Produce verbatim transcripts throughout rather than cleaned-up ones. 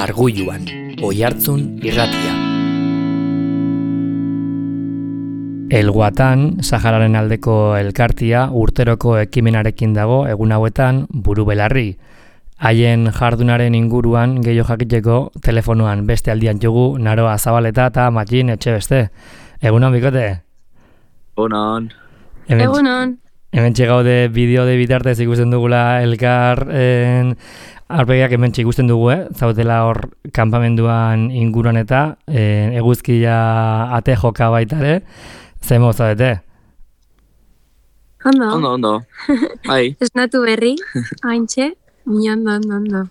Argulluan, Oihartzun irratia. Elguatan, Sahararen aldeko elkartia urteroko ekimenarekin dago egun hauetan buru belarri. Haien jardunaren inguruan gehiago jakiteko telefonoan beste aldian jugu Naroa Zabaleta eta Matxin Etxebeste. Egunon, bikote? Egunon. Egunon. Hemen txegaude bideo de bitartez ikusten dugula elkar en, arpegiak hemen ikusten dugu, eh? Zautela hor kanpamenduan inguruan eta en, eguzkia ate joka baitare. Zemo zaudete? Ondo. Ondo, ondo. Bai. Esnatu berri, haintxe, ondo, ondo, ondo.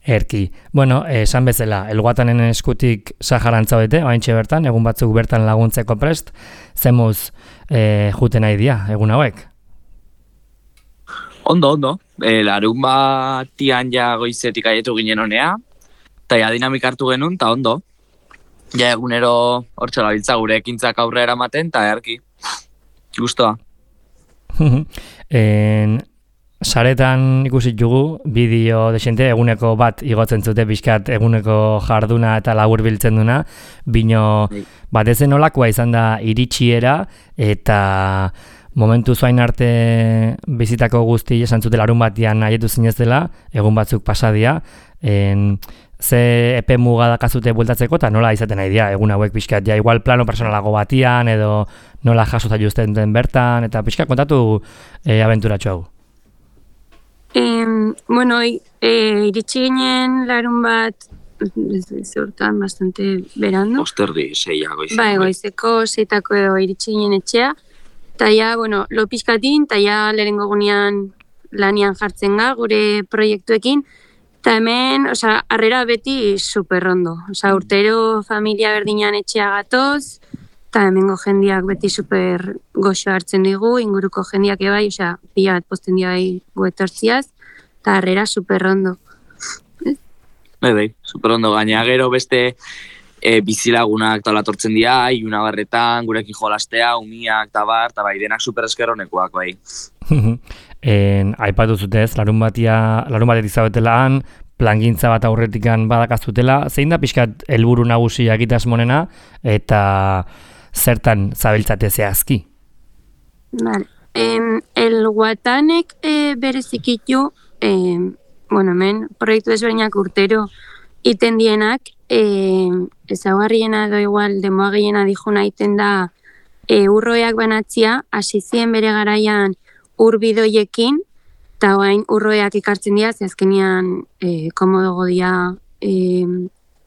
Erki. Bueno, esan bezala, elguatanen eskutik Saharan zaudete, haintxe bertan, egun batzuk bertan laguntzeko prest, zemuz eh, juten nahi dia, egun hauek? Ondo, ondo. E, larun batian ja goizetik aietu ginen honea, eta ja dinamik hartu genuen, eta ondo. Ja egunero hortxela biltza gure ekintzak aurrera ematen, eta erki. Gustoa. en, saretan ikusi jugu, bideo desente eguneko bat igotzen zute bizkat eguneko jarduna eta labur biltzen duna, bino batez nolakoa izan da iritsiera eta momentu zuain arte bizitako guzti esan zute larun batian aietu zinez dela, egun batzuk pasadia, en, ze epe muga dakazute bueltatzeko eta nola izaten nahi dira, egun hauek pixkat, ja igual plano personalago batian edo nola jasota justen den bertan, eta pixkat kontatu e, abenturatxo hau. Eh, bueno, e, iritsi ginen larun bat, zeurtan bastante berando. Osterdi, seia goizeko. Bai, goizeko seitako edo iritsi ginen etxea. Eta ja, bueno, lo pixkatin, eta ja lehenengo gunean lanian jartzen ga, gure proiektuekin. Eta hemen, osea, harrera beti superrondo. Osea, urtero familia berdinean etxea gatoz, eta hemengo jendiak beti super goxo hartzen digu, inguruko jendiak ebai, osea, pila bat posten dira bai guetortziaz, eta harrera superrondo. Bai, bai, superondo. Gaina gero beste e, bizilagunak talatortzen dira, iluna barretan, gurekin jolastea, umiak, eta bar, eta bai, denak super eskerronekoak, bai. En, aipatu zutez, larun batia, larun batetik zaudetela han, plangintza bat aurretikan badakazutela, zein da pixkat helburu nagusia egitasmonena eta zertan zabiltzate zehazki? Vale. Em, el Guatanek e, berezikitu, e, bueno, hemen proiektu desberdinak urtero iten dienak, e, ezaugarriena edo igual demoa gehiena dijuna iten da e, urroeak banatzia, hasi zien bere garaian urbidoiekin, eta orain urroeak ikartzen dira, ze azkenean e, komodogo dira e,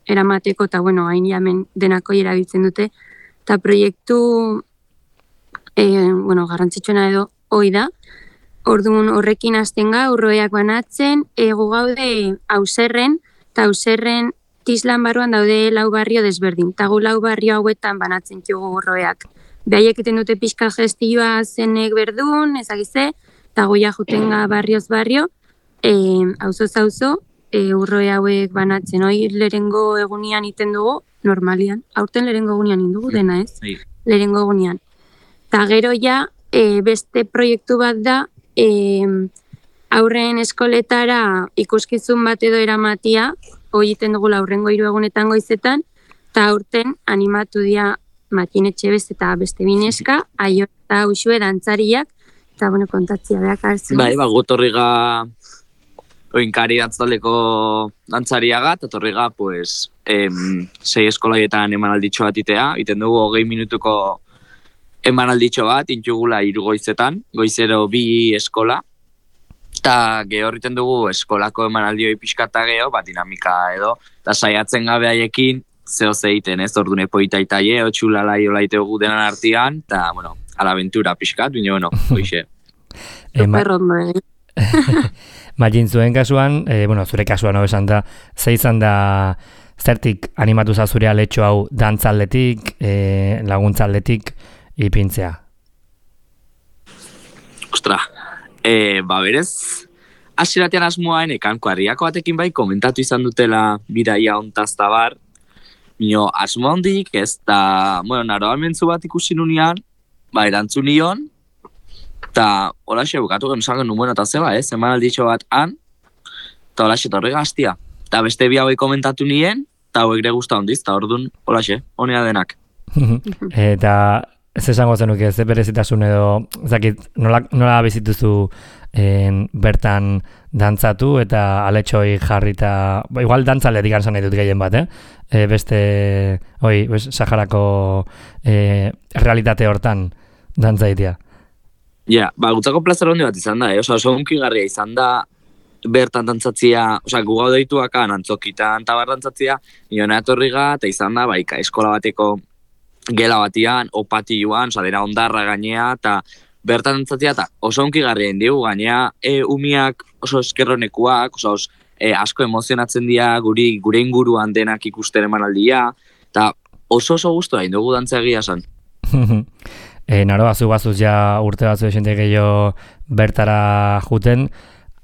eramateko, eta bueno, hain jamen denako erabiltzen dute, eta proiektu e, bueno, garrantzitsuena edo hoi da, orduan horrekin hasten ga, urroeak banatzen, egu gaude Auserren, eta Auserren Tislan barruan daude lau barrio desberdin, eta gu lau barrio hauetan banatzen dugu urroeak. Behaiek egiten dute pixka gestioa zenek berdun, ezagize, eta goia jutenga barrioz barrio, e, auzoz auzo, e, urroe hauek banatzen. Hoi lehengo egunian iten dugu, normalian. Aurten lehengo egunian indugu dena, ez? Sí. Lehengo egunian. Eta gero ja, e, beste proiektu bat da, e, aurren eskoletara ikuskizun bat edo eramatia, hoi iten dugu aurrengo hiru egunetan goizetan, eta aurten animatu dira Matxin Etxebeste eta beste bineska, aio eta usue dantzariak, eta bueno, kontatzia beak hartzen. Bai, ba, gotorriga oinkari dantzaldeko dantzariaga, eta torriga, pues, em, sei eskolaietan emanalditxo bat itea, iten dugu hogei minutuko emanalditxo bat, intugula hiru goizetan, goizero bi eskola, eta geho horriten dugu eskolako emanaldioi pixkata geho, bat dinamika edo, eta saiatzen gabe haiekin, zeo zeiten, ez, ordune poita itaie, otxulalai olaite gu denan artian, eta, bueno, alaventura pixkat, bine, bueno, hoxe. Superrondo, eh? Matxin, zuen kasuan, eh, bueno, zure kasuan no esan da, ze izan da zertik animatu za zure aletxo hau dantzaldetik, eh, laguntzaldetik ipintzea? Ostra, eh, ba berez, hasiratean asmoaen ekanko harriako batekin bai komentatu izan dutela bidaia ontazta bar, Mino, asmo handik, ez da, bueno, Naroa mentzu bat ikusi nunean, ba, erantzun nion, eta hola xe bukatu genuzan genuen, bueno, eta zeba, ez, eman alditxo bat han, eta hola xe torri gaztia. eta beste bi hauek komentatu nien, eta hauek ere guzta hondiz, eta orduan, holaxe, honea denak. Eta ez esango zenuke, ez berezitasun edo, zakit, nola, nola bizituzu en, bertan dantzatu eta aletxoi jarrita, igual dantzale digan zan ditut gehien bat, eh? E, beste, oi, bes, Saharako e, realitate hortan dantzaitia. Ja, ba, gutzako plazer hondi bat izan da, eh? Osa, oso unkigarria izan da, bertan dantzatzia, osa, gu gau deituakan, antzokitan tabar dantzatzia, niona etorriga, eta izan da, baika, eskola bateko gela batian, opatioan, osa, dena ondarra gainea, eta bertan dantzatzia, eta oso unkigarria indigu, gainea, e, umiak oso eskerronekuak, osa, os, e, asko emozionatzen dira, guri, gure inguruan denak ikusten emanaldia, eta oso oso guztua indugu dantza egia esan. E, naro, bazu bazuz ja urte batzu esente gehiago bertara juten,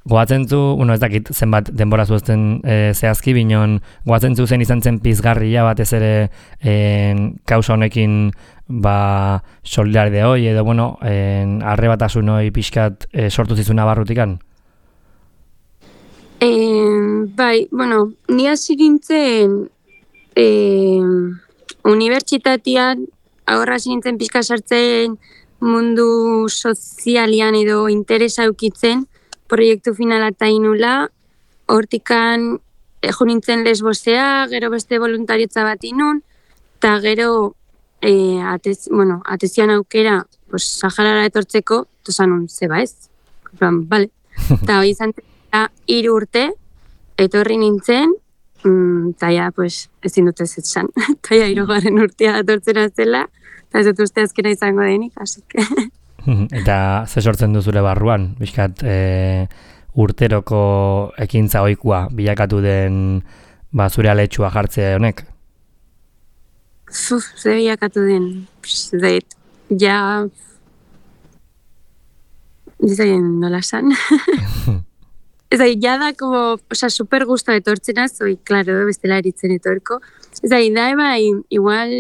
goatzen zu, bueno, ez dakit zenbat denbora zuezten e, zehazki, binon goatzen zu zen izan zen pizgarria batez ere en, kausa honekin ba, solidaridade hoi, edo, bueno, en, arrebatasun hoi pixkat e, sortu zizuna barrutikan? E, bai, bueno, ni hasi gintzen e, unibertsitatean aurra hasi nintzen pixka sartzen mundu sozialian edo interesa eukitzen, proiektu finala eta inula, hortikan jo nintzen lesbosea, gero beste voluntariotza bat inun, eta gero e, atez, bueno, atezian aukera pues, Saharara etortzeko, tozanun, zeba ez? Plan, bale. Eta hori izan hiru urte, etorri nintzen, eta ja, pues, ezin dut ez etzan. Eta ja, hirugarren urtea etortzera zela, eta ez dut uste azkena izango denik, asik. Eta ze sortzen duzule barruan, bizkat e, urteroko ekintza ohikoa bilakatu den ba, zure aletxua jartzea honek? Uf, ze bilakatu den, zait, ja, dizaien nola san. Ez da, ja da, como, oza, super gusto etortzenaz, oi, klaro, bestela eritzen etorko. Ez da, da, bai, igual,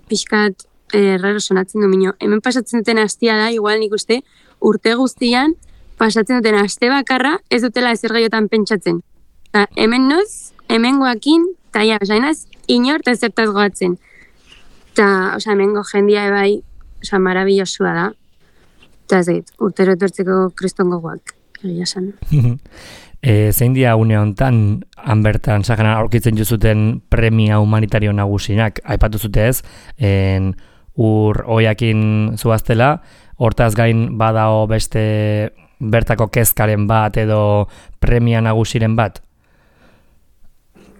pixkat, eh, raro sonatzen du minio. Hemen pasatzen duten astia da, igual nik uste, urte guztian, pasatzen duten aste bakarra, ez dutela ezer gaiotan pentsatzen. Ta, hemen noz, hemen goakin, eta ja, oza, enaz, inor eta zertaz goatzen. Eta, oza, hemen go jendia ebai, oza, marabillosua da. Eta ez dut, urtero etortzeko kristongo guak, egia san. E, zein dia une honetan, han bertan Saharan aurkitzen juzuten premia humanitario nagusinak, aipatu zute ez, en, ur oiakin zuaztela, hortaz gain badao beste bertako kezkaren bat edo premia nagusiren bat?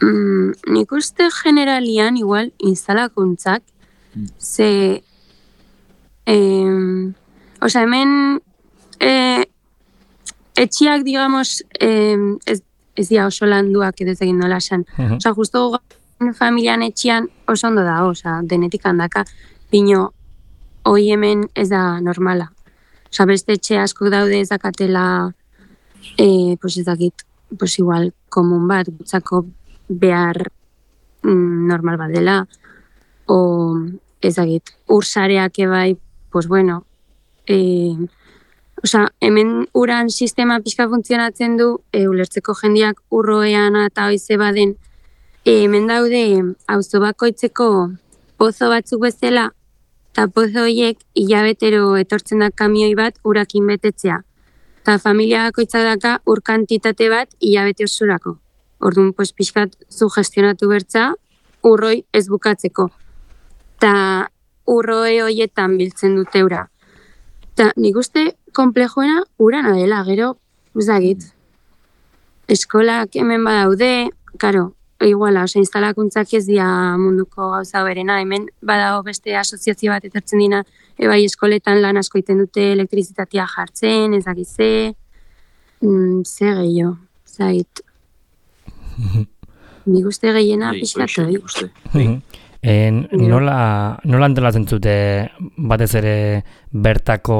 Mm, nik uste generalian igual instalakuntzak, ze, eh, oza, hemen eh, etxiak, digamos, eh, ez, ez dira oso landuak edo ez egin nola esan. Uh-huh. Osa, justo familian etxian oso ondo da, osa, denetik handaka, bino, hoi hemen ez da normala. Osa, beste etxe asko daude ez dakatela, eh, pues ez dakit, pues igual, komun bat, gutzako behar mm, normal bat dela, o ez dakit, ursareak ebai, pues bueno, eh, Osa, hemen uran sistema pixka funtzionatzen du, e, ulertzeko jendiak urroean eta hoize baden, e, hemen daude auzo bakoitzeko pozo batzuk bezala, eta pozo horiek hilabetero etortzen da kamioi bat urakin betetzea. Eta familia bakoitza daka ur kantitate bat hilabete osurako. Orduan, pues, pixkat zu gestionatu bertza, urroi ez bukatzeko. Eta urroe horietan biltzen dute ura. Eta nik uste komplejoena urana dela, gero, uzagit. Eskolak hemen badaude, karo, iguala, oza, instalakuntzak ez dira munduko gauza berena, hemen badago beste asoziazio bat etortzen dina, ebai eskoletan lan asko iten dute elektrizitatea jartzen, ezagize, mm, ze gehiago, zait. Nik uste gehiena pixkatu, eh? En, nola, nola antolatzen zute batez ere bertako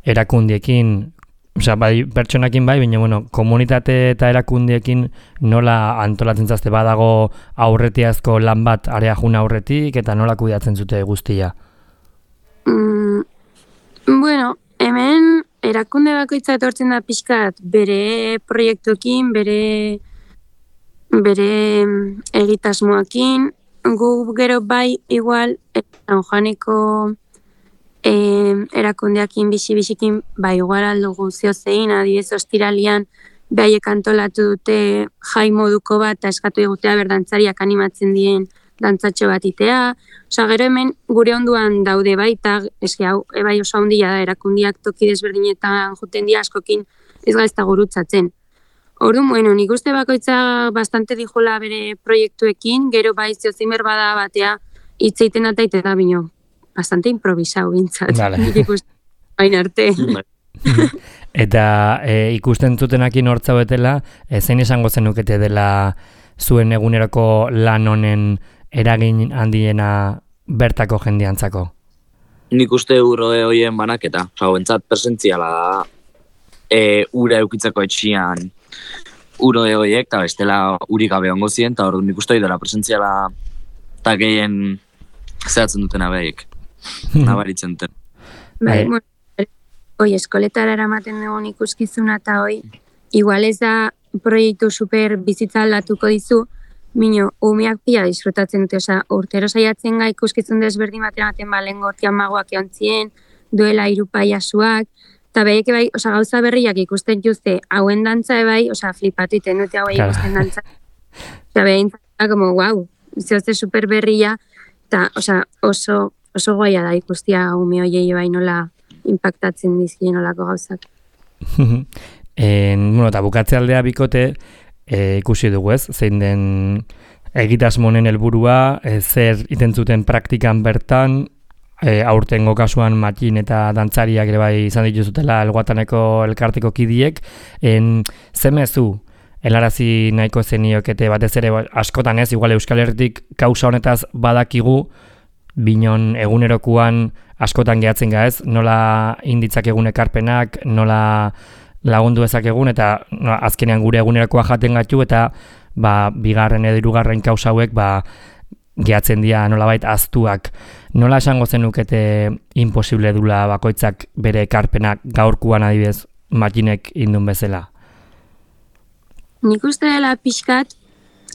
erakundiekin, osea, bai, pertsonakin bai, baina, bueno, komunitate eta erakundiekin nola antolatzen zazte badago aurretiazko lan bat area juna aurretik eta nola kudeatzen zute guztia? Mm, bueno, hemen erakunde bakoitza etortzen da pixkat bere proiektuekin, bere bere egitasmoakin, gu gero bai igual San Juaneko eh, erakundeakin bizi-bizikin bai igual aldugu ziozein, adibidez ostiralian behaiek antolatu dute jai moduko bat eta eskatu egutea berdantzariak animatzen dien dantzatxo bat itea. Osa, gero hemen gure onduan daude bai, eta eski hau, ebai oso handia da, erakundiak toki desberdinetan juten dira askokin ez gaizta gurutzatzen. Orduan, bueno, nik uste bakoitza bastante dijola bere proiektuekin, gero bai ziozein berbada batea hitzeiten ataite da bino, bastante improvisau bintzat. Vale. Nik ikusten bain arte. Eta e, ikusten zutenakin hortza betela, e, zein esango zenukete dela zuen eguneroko lan honen eragin handiena bertako jendeantzako? Nik uste urroe hoien banaketa. Osa, bentsat presentziala da e, ura eukitzeko etxian urroe hoiek, eta bestela urik gabe ongo ziren, eta orduan nik uste dela presentziala eta gehien zehatzen dutena behiek. Nabaritzen duten. Bai, bueno, oi, eskoletara eramaten dugun ikuskizuna eta hoi, igual ez da proiektu super bizitza aldatuko dizu, mino, umeak pila disfrutatzen dute, oza, urtero saiatzen ga ikuskizun desberdin batean baten balen gortian magoak eontzien, duela hiru paiasuak, eta behiek bai, oza, gauza berriak ikusten juzte, hauen dantza ebai, oza, flipatu iten dute hauei ikusten dantza. Eta behin, como, wow, zehozte super berria, eta, oza, oso, oso goia da ikustia ume hoiei bai nola impactatzen dizkien olako gauzak. En, bueno, eta bukatze aldea bikote, e, ikusi dugu ez, zein den egitasmonen helburua, e, zer iten zuten praktikan bertan, e, aurtengo kasuan matxin eta dantzariak ere bai izan dituzutela Elguataneko elkarteko kidiek, en, zemezu, helarazi nahiko zeniokete batez ere askotan ez, igual Euskal Herritik kausa honetaz badakigu, binon egunerokuan askotan gehatzen ga ez, nola inditzak egun ekarpenak, nola lagundu ezak egun, eta no, azkenean gure egunerakoa jaten gatu, eta ba, bigarren edo hirugarren kausa hauek ba, gehatzen dira nolabait aztuak. Nola esango zenukete imposible dula bakoitzak bere ekarpenak gaurkuan adibidez makinek indun bezala? Nik uste dela pixkat,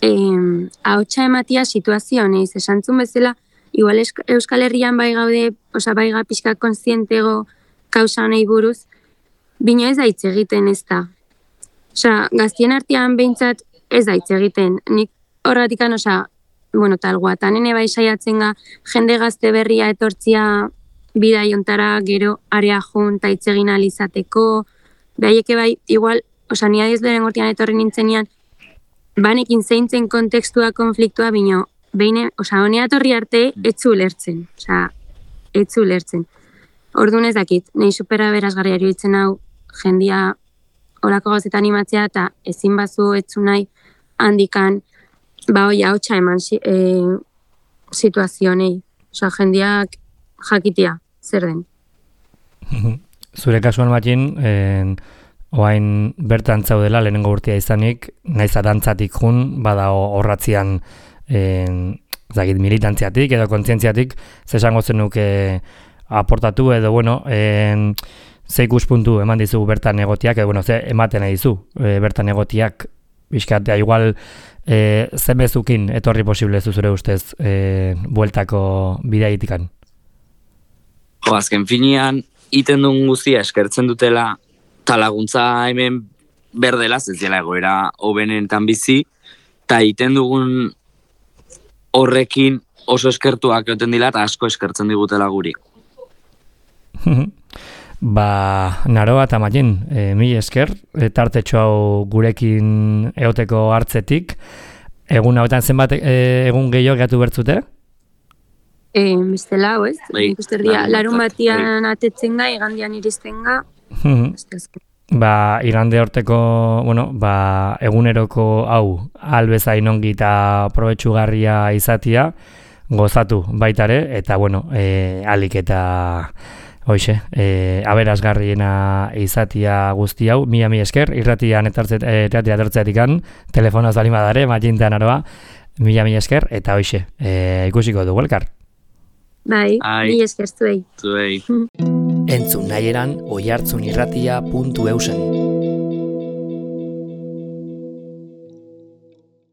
eh, ahotsa ematia situazio honeiz, esantzun bezala, igual Euskal Herrian bai gaude, osa bai ga pixka kontzientego kausa honei buruz, bino ez da hitz egiten ez da. Osa, gaztien artean behintzat ez da hitz egiten. Nik horratikan, osa, bueno, talguatan ene bai saiatzen ga, jende gazte berria etortzia bidai ontara gero area jun eta hitz egin alizateko, behaieke bai, igual, osa, nia diez lehen gortian etorri nintzenean, banekin zeintzen kontekstua, konfliktua, bino, behin, osa, honea torri arte, etzu lertzen, osa, etzu lertzen. Orduan ez dakit, nahi supera berazgarria iruditzen hau, jendia horako gauzetan animatzea, eta ezin bazu etzu nahi handikan, ba hoi hautsa eman e, situazionei, osa, jendiak jakitia, zer den. Zure kasuan matxin, en, oain bertan zaudela lehenengo urtea izanik, naiz dantzatik jun, bada horratzian En, zagit, militantziatik edo kontzientziatik zesango zenuke aportatu edo bueno, en, ze ikuspuntu eman dizu bertan egotiak, edo bueno, ze ematen nahi dizu e, bertan egotiak bizkatea, igual e, zemezukin etorri posible zuzure ustez e, bueltako bideaitikan? Jo, azken finean, iten duen guztia eskertzen dutela eta laguntza hemen berdela, ez dela egoera hobenetan bizi, eta iten dugun horrekin oso eskertuak egoten dila eta asko eskertzen digutela guri. Ba, Naroa eta Matxin, e, mi esker, e, tartetxo hau gurekin eoteko hartzetik. Egun hauetan zenbat e, egun gehiago gehatu bertzute? E, bestela, hau ez? Ikusterdia, larun batian atetzen ga, igandian iristen ga. Ba, igande horteko, bueno, ba, eguneroko hau albezain ongi eta probetxugarria izatia, gozatu baitare, eta, bueno, e, alik eta, hoxe, e, aberasgarriena izatia guzti hau, mila mi esker, irratian etortzea etortzeatikan, telefonoz bali madare, Matxinta Naroa, mila mi esker, eta hoxe, e, ikusiko dugu elkar. Bai, mi esker zuei. Zuei. Entzun nahieran oihartzunirratia puntu eusen.